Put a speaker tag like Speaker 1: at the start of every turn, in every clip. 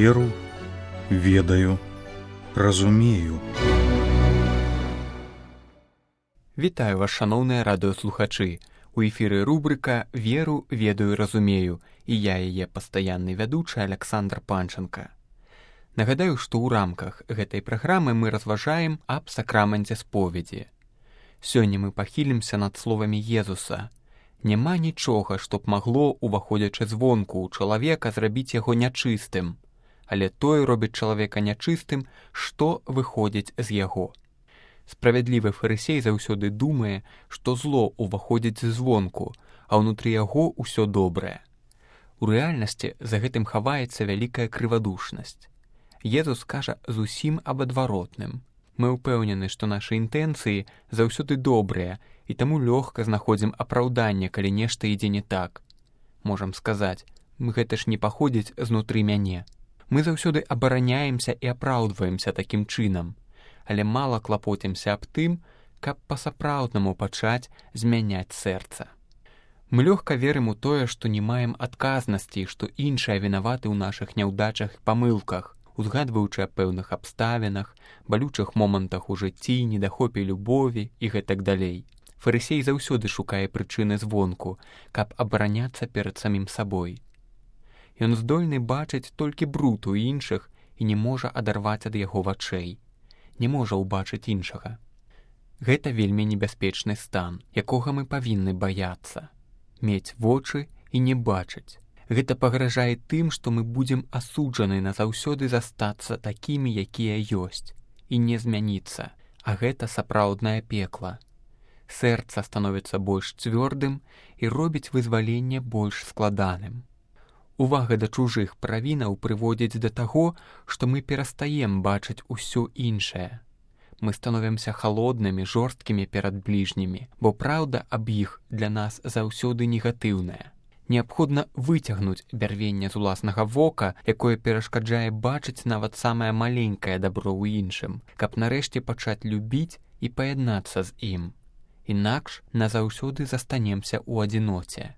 Speaker 1: Веру, ведаю, разумею.
Speaker 2: Вітаю вас, шаноўныя радыёслухачы. У эфіры рубрыка «Веру, ведаю, разумею» і я яе пастаянны вядучы Александр Панченко. Нагадаю, што ў рамках гэтай праграмы мы разважаем аб сакраменце споведзі. Сёння мы пахілімся над словамі Езуса. Няма нічога, што б магло, уваходзячы звонку ў чалавека, зрабіць яго нячыстым, але тое робіць чалавека нячыстым, што выходзіць з яго. Справядлівы фарысей заўсёды думае, што зло ўваходзіць звонку, а ўнутры яго ўсё добрае. У рэальнасці за гэтым хаваецца вялікая крывадушнасць. Езус кажа зусім аб адваротным. Мы ўпэўнены, што нашы інтэнцыі заўсёды добрыя, і таму лёгка знаходзім апраўданне, калі нешта ідзе не так. Можам сказаць, гэта ж не паходзіць знутры мяне. Мы заўсёды абараняемся і апраўдваемся такім чынам, але мала клапоцімся аб тым, каб па-сапраўднаму пачаць змяняць сэрца. Мы лёгка верым у тое, што не маем адказнасці, што іншыя вінаваты ў нашых няўдачах і памылках, узгадваючы аб пэўных абставінах, балючых момантах у жыцці, недахопе любові і гэтак далей. Фарысей заўсёды шукае прычыны звонку, каб абараняцца перад самім сабой. Ён здольны бачыць толькі бруд у іншых і не можа адарваць ад яго вачэй. Не можа ўбачыць іншага. Гэта вельмі небяспечны стан, якога мы павінны баяцца. Мець вочы і не бачыць. Гэта пагражае тым, што мы будзем асуджаны назаўсёды застацца такімі, якія ёсць, і не змяніцца, а гэта сапраўднае пекла. Сэрца становіцца больш цвёрдым і робіць вызваленне больш складаным. Увага да чужых правінаў прыводзіць да таго, што мы перастаем бачыць усё іншае. Мы становімся халоднымі, жорсткімі перад бліжнімі, бо праўда аб іх для нас заўсёды негатыўная. Неабходна выцягнуць бярвенне з уласнага вока, якое перашкаджае бачыць нават самае маленькае дабро ў іншым, каб нарэшце пачаць любіць і паяднацца з ім. Інакш назаўсёды застанемся ў адзіноце,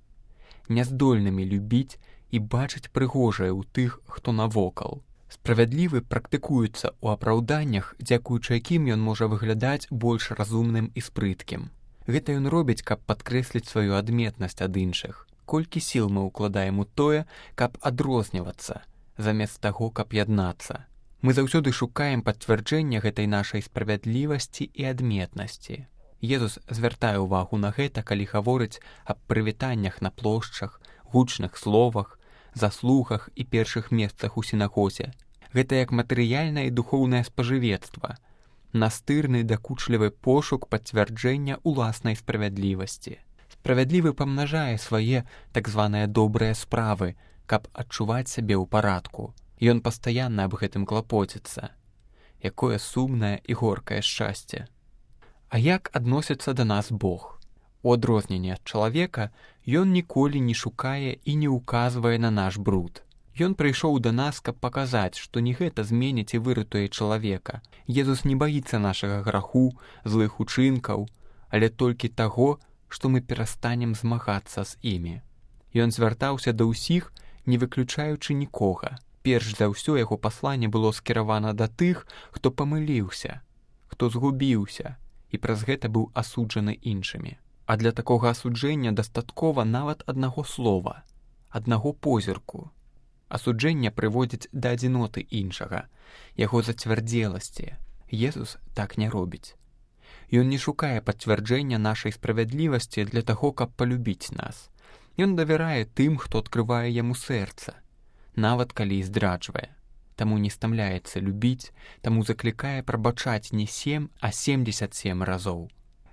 Speaker 2: няздольнымі любіць і бачыць прыгожае ў тых, хто навокал. Справядлівы практыкуецца ў апраўданнях, дзякуючы якім ён можа выглядаць больш разумным і спрыткім. Гэта ён робіць, каб падкрэсліць сваю адметнасць ад іншых. Колькі сіл мы ўкладаем у тое, каб адрознівацца, замест таго, каб яднацца. Мы заўсёды шукаем пацвярджэння гэтай нашай справядлівасці і адметнасці. Езус звяртае ўвагу на гэта, калі гаворыць аб прывітаннях на плошчах, гучных словах, заслугах і першых месцах у сінагозе. Гэта як матэрыяльнае і духоўнае спажывецтва, настырны дакучлівы пошук пацвярджэння ўласнай справядлівасці. Справядлівы памнажае свае так званыя добрыя справы, каб адчуваць сябе ў парадку. Ён пастаянна аб гэтым клапоціцца. Якое сумнае і горкае шчасце. А як адносіцца да нас Бог? У адрозненне ад чалавека, ён ніколі не шукае і не ўказвае на наш бруд. Ён прыйшоў да нас, каб паказаць, што не гэта зменіць і выратуе чалавека. Езус не баіцца нашага граху, злых учынкаў, але толькі таго, што мы перастанем змагацца з імі. Ён звяртаўся да ўсіх, не выключаючы нікога. Перш за ўсё яго пасланне было скіравана да тых, хто памыліўся, хто згубіўся, і праз гэта быў асуджаны іншымі. А для такога асуджэння дастаткова нават аднаго слова, аднаго позірку. Асуджэнне прыводзіць да адзіноты іншага, яго зацвярдзеласці. Езус так не робіць. Ён не шукае пацвярджэння нашай справядлівасці для таго, каб палюбіць нас. Ён давярае тым, хто адкрывае яму сэрца, нават калі і здраджвае. Таму не стамляецца любіць, таму заклікае прабачаць не 7, а 77 разоў.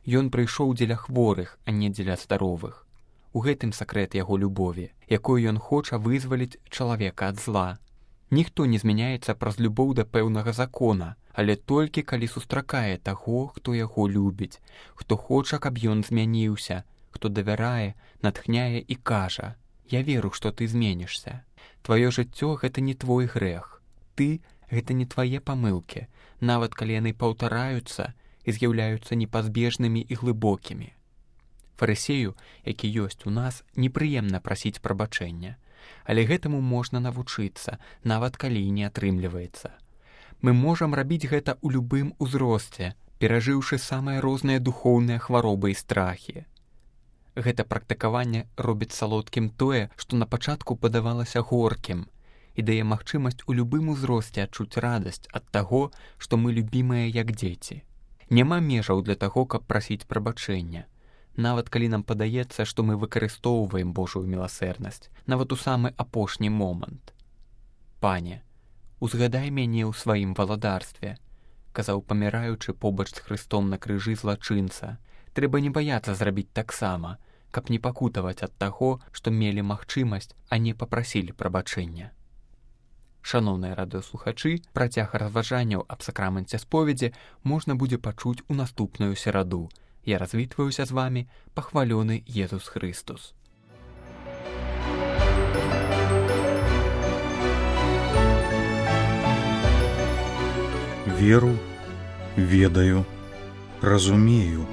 Speaker 2: Ён прыйшоў дзеля хворых, а не дзеля здаровых. У гэтым сакрэт яго любові, якой ён хоча вызваліць чалавека ад зла. Ніхто не змяняецца праз любоў да пэўнага закона, але толькі калі сустракае таго, хто яго любіць, хто хоча, каб ён змяніўся, хто давярае, натхняе і кажа: «Я веру, што ты зменішся. Тваё жыццё — гэта не твой грэх. Ты — гэта не твае памылкі, нават калі яны паўтараюцца і з'яўляюцца непазбежнымі і глыбокімі». Фарысею, які ёсць у нас, непрыемна прасіць прабачэння, Але гэтаму можна навучыцца, нават калі не атрымліваецца. Мы можам рабіць гэта ў любым узросце, перажыўшы самыя розныя духоўныя хваробы і страхі. Гэта практыкаванне робіць салодкім тое, што на пачатку падавалася горкім, і дае магчымасць у любым узросце адчуць радасць ад таго, што мы любімыя як дзеці. Няма межаў для таго, каб прасіць прабачэння. Нават калі нам падаецца, што мы выкарыстоўваем Божую міласэрнасць, нават у самы апошні момант. «Пане, узгадай мяне ў сваім валадарстве», казаў паміраючы побач з Хрыстом на крыжы злачынца. Трэба не баяцца зрабіць таксама, каб не пакутаваць ад таго, што мелі магчымасць, а не папрасілі прабачэння. Шаноўныя радыёслухачы, працяг разважанняў аб сакраменце споведзі можна будзе пачуць у наступную сераду. Я развітваюся з вамі, пахвалёны Езус Хрыстус.
Speaker 1: Веру, ведаю, разумею.